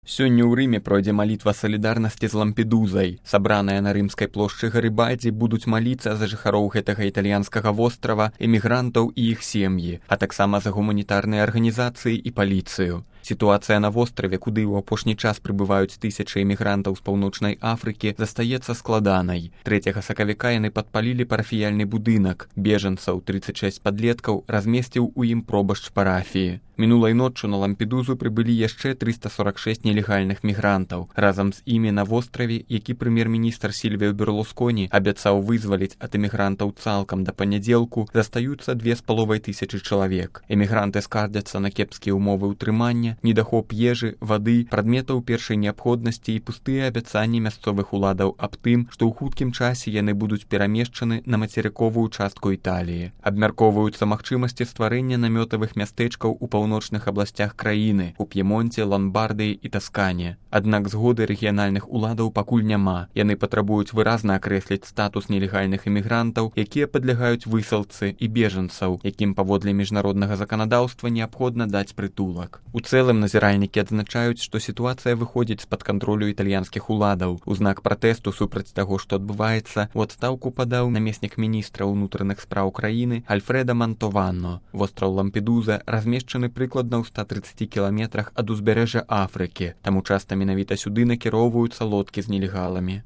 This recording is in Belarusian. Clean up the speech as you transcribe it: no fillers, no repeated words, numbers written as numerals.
Сёння ў Рыме пройдзе малітва салідарнасці з Лампедузай. Сабраныя на рымскай плошчы Гарыбальдзі будуць маліцца за жыхароў гэтага італьянскага вострава, эмігрантаў і іх сем'і, а таксама за гуманітарныя арганізацыі і паліцыю. Сітуацыя на востраве, куды ў апошні час прыбываюць тысячы эмігрантаў з паўночнай Афрыкі, застаецца складанай. 3 сакавіка яны падпалілі парафіяльны будынак. Бежанцаў, 36 падлеткаў, размесціў у ім пробашч парафіі. Мінулай ноччу на Лампедузу прыбылі яшчэ 346 нелегальных мігрантаў. Разам з імі на востраве, які прэм'ер-міністр Сільвіо Берлусконі абяцаў вызваліць ад эмігрантаў цалкам да панядзелку, застаюцца 2500 чалавек. Эмігранты скардзяцца на кепскія ўмовы ўтрымання, недахоп ежы, вады, прадметаў першай неабходнасці і пустыя абяцанні мясцовых уладаў аб тым, што ў хуткім часе яны будуць перамешчаны на мацерыковую частку Італіі. Абмяркоўваюцца магчымасці стварэння намётавых мястэчкаў у паўночных абласцях краіны, у П'емонце, Ломбардыі і Таскане. Аднак згоды рэгіянальных уладаў пакуль няма. Яны патрабуюць выразна акрэсліць статус нелегальных эмігрантаў, якія падлягаюць высылцы і бежанцаў, якім паводле міжнароднага заканадаўства неабходна даць прытулак. У цэлым назіральнікі адзначаюць, што сітуацыя выходзіць з-пад кантролю італьянскіх уладаў. У знак пратэсту супраць таго, што адбываецца, у адстаўку падаў намеснік міністра ўнутраных спраў краіны Альфрэда Мантованно. Востраў Лампедуза размешчаны прыкладна ў 130 кіламетрах ад узбярэжжа Афрыкі, таму часта менавіта сюды накіроўваюцца лодкі з нелегаламі.